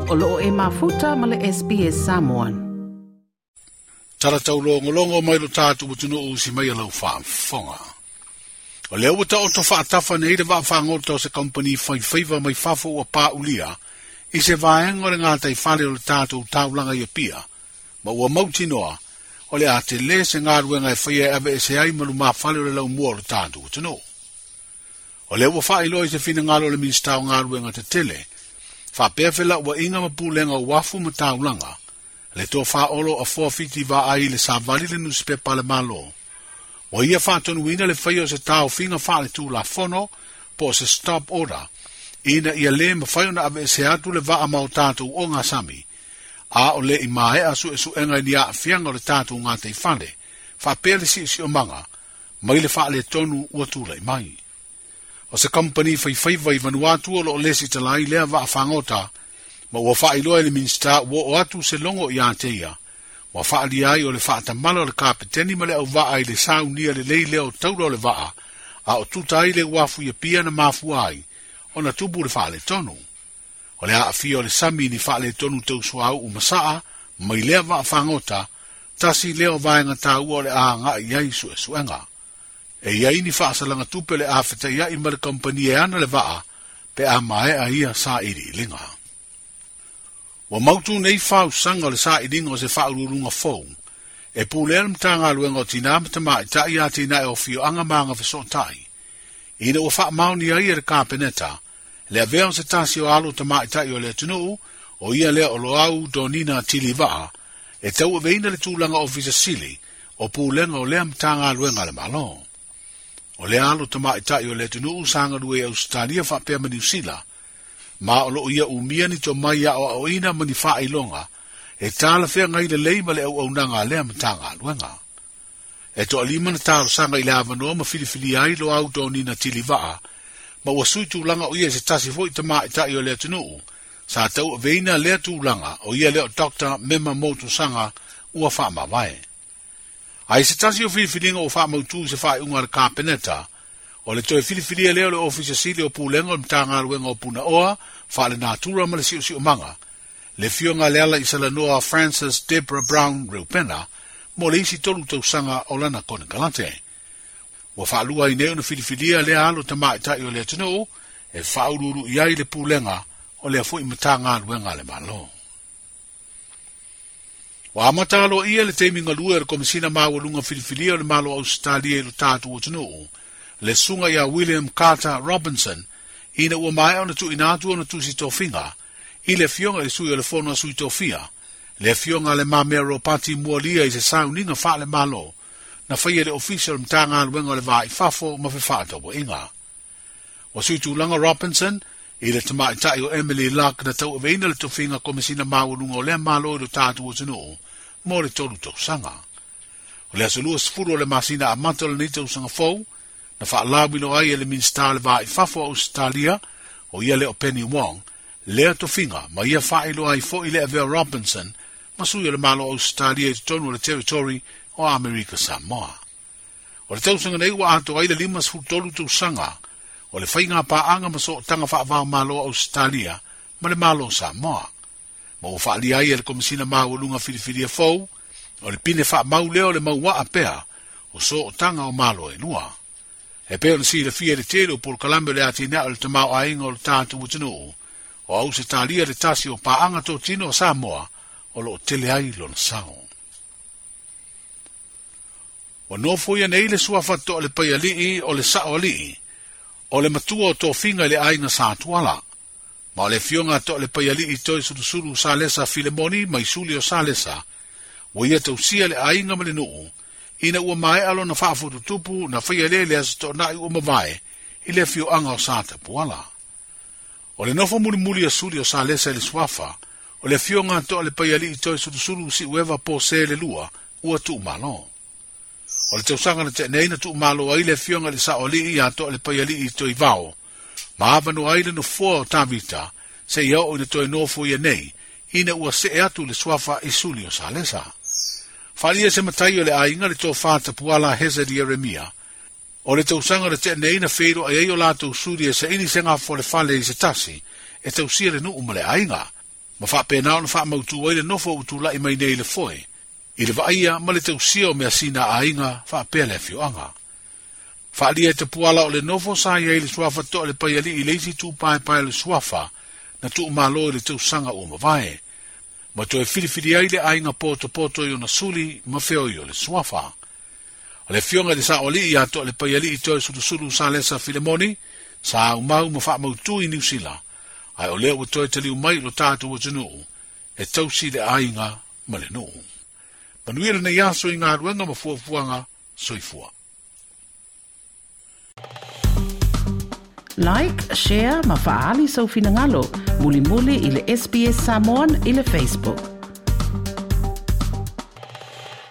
O loo e mafuta ma le SBS Samoan. Tala taulogologo mai lo tatou atunuu si mai lau faafofoga. O lea ua taoto faatafa nei le vaafagota o se kampani faifaiva mai fafo ua paulia i se vaega o le gataifale o le tatou taulaga i Apia, ma ua mautinoa o le a tele se galuega e faia e aveese ai ma lumafale o le laumua o le tatou atunuu. O lea ua faailoa i se finagalo o le Minisita o Galuega Tetele, faapea felauaiga ma pulega o uafu ma taulaga, le tofa Olo Afoa Fiti Vaai i le savali le nusipepa a le Malo. Ua ia faatonuina le faia o se taofiga faaletulafono po o se stop order, ina ia lē mafai ona aveese atu le vaa ma o tatou ogasami, a o le i maea suesuega i ni aafiaga o le tatou gataifale, faapea le siosiomaga, mai le faaletonu ua tulai mai. O se kampani faifaiva i Vanuatu o loo lesi talai lea vaafagota, ma ua faailoa i le Minisita ua oo atu se logo ia te ia, ua faalia ai o le faatamala o le kapeteni ma le auvaa i le saunia lelei lea o taula o le vaa, a o tuta ai le uafu i Apia na mafua ai, ona tupu le faaletonu. O le aafia o le sami ni faaletonu tau suauu ma saa, mai lea vaafagota, tasi lea o vaega taua o le agai ai suesuega. E iai ni faasalaga tupe le afetaiai ma le kampani e ana le vaa, pe a maea ia sailiiliga. Ua mautu nei fausaga o le sailiga o se faauluuluga fou, e pulea le Matagaluega o Tinā ma Tamaitai atinae o afioaga ma agafesootai, ina ua faamaoni ai e le Kapeneta, le avea o se tasi o alo tamaitai o le atunuu, o ia lea o Loau Donina Tilivaa, e tauaveina le tulaga ofisa sili o pulega o lea Matagaluega a le Malo. O le alo tamaitai o le atunuu sa galue i Ausetalia faapea ma Niusila, ma o loo ia umia ni tomai aoaoina ma ni faailoga e talafeagai lelei ma le auaunaga a lea Matagaluega. E toalima na talosaga i le avanoa ma filifilia ai Loau Donina Tilivaa, ma ua sui tulaga o ia i se tasi foi tamaitai o le atunuu, sa tauaveina lea tulaga o ia lea o Dr. Mema Motusaga ua faamavae. Ai se tasi o filifiliga ua faamautu i se faaiuga a le Kapeneta, o le toe filifilia lea o le Ofisa Sili o Pulega o le Matagaluega o Punaoa, Faalenatura ma le Siosiomaga, le afioga le ala i Salanoa Francis Deborah Brown Reupena, mo le isi 3 tausaga o lana konekarate. Ua faalua ai nei ona filifilia lea alo tamaitai o le atunuu e faauluulu i ai le pulega o lea foi Matagaluega a le Malo. Ua amata aloaia le taimi galue o le Komesina Maualuga Filifilia o le Malo o Ausetalia i lo tatou atunuu, le susuga ia William Carter Robinson, ina ua maea ona tuuina atu ona tusi tofiga i le afioga i le sui o le Fono a Sui Tofia, le afioga le Mamea Ropati Mualia i se sauniga faale-malo, na faia le ofisa o le Matagaluega o le Va i Fafo ma Fefaatauaiga. Ua sui tulaga Robinson i le tamaitai o Emily Luck na tauaveina le tofiga Komesina Maualuga o lea Malo i lo tatou atunuu mo le 3 tausaga. O le aso 20 o le masina amata o lenei tausaga fou, na faalauiloa ai e le Minisita o le Va i Fafo o Ausetalia, o ia lea o Penny Wong, lea tofiga ma ia faailoa ai foi le avea Robinson ma sui o le Malo o Ausetalia i totonu o le Territory o Amerika Samoa. O le tausaga nei ua atoa ai le 53 tausaga o le faiga paaga ma sootaga faavao malo o Ausetalia ma le Malo o Samoa. Ma ua faalia ai e le Komesina Maualuga Filifilia fou, o le pine faamau lea o le mauaa pea o sootaga o malo e lua. E pei ona silafia i le tele o polokalame o le atinae o le tamaoaiga o le tatou atunuu, o Ausetalia le tasi o paaga totino o Samoa o loo tele ai lona sao. Ua nofo ia nei le suafa Toalepaialii o le Saoalii, o le matua o tofiga i le aiga Satuala. Ma o le afioga Toalepaialii Toi Sulusulu Salesa Filemoni mai Suli o Salesa, ua ia tausia le aiga ma le nuu, ina ua maea lona faafotutupu na faia lea le aso Toonai ua mavae i le afioaga o Satapuala. O le nofo mulimuli a Suli o Salesa i le suafa, o le afioga Toalepaialii Toi Sulusulu Siueva Pose le lua ua tuumalo. O le tausaga na tea nei na tuumalo ai le afioga i le Saoalii ia Toalepaialii Toi Vao, ma avanoa ai le nofoa o Tavita, seia oo ina toe nofo ia nei, ina ua see atu le suafa i Suli o Salesa. Faalia se matai o le aiga le tofa Tapuala Hezed Ieremia, o le tausaga na tea nei na feiloai ai o latou suli e saili se gafolefale i se tasi, e tausia le nuu ma le aiga. Ma faapena ona faamautu ai le nofo ua tula'i mai nei i le foe, i le vaaia ma le tausia o measina a aiga faapea le afioaga. Faaalia e Tapuala o le nofo sa i ai le suafa Toalepaialii i le isi tu paepae o le suafa na tuumalo i le tausaga ua mavae, ma toe filifili ai le aiga potopoto i ona suli ma feoi o le suafa. O le afioga i le Saoalii ia Toalepaialii Toesulusulu Salesa Filemoni, sa aumau ma faamautu i Niusila, ae o lea ua toe taliu mai i lo tatou atunuu, e tausi le aiga ma le nuu. Manuia lenei aso i galuega ma fuafuaga soifua. Like, share ma faaali sou finagalo. Mulimuli i le SBS Samoan i le Facebook.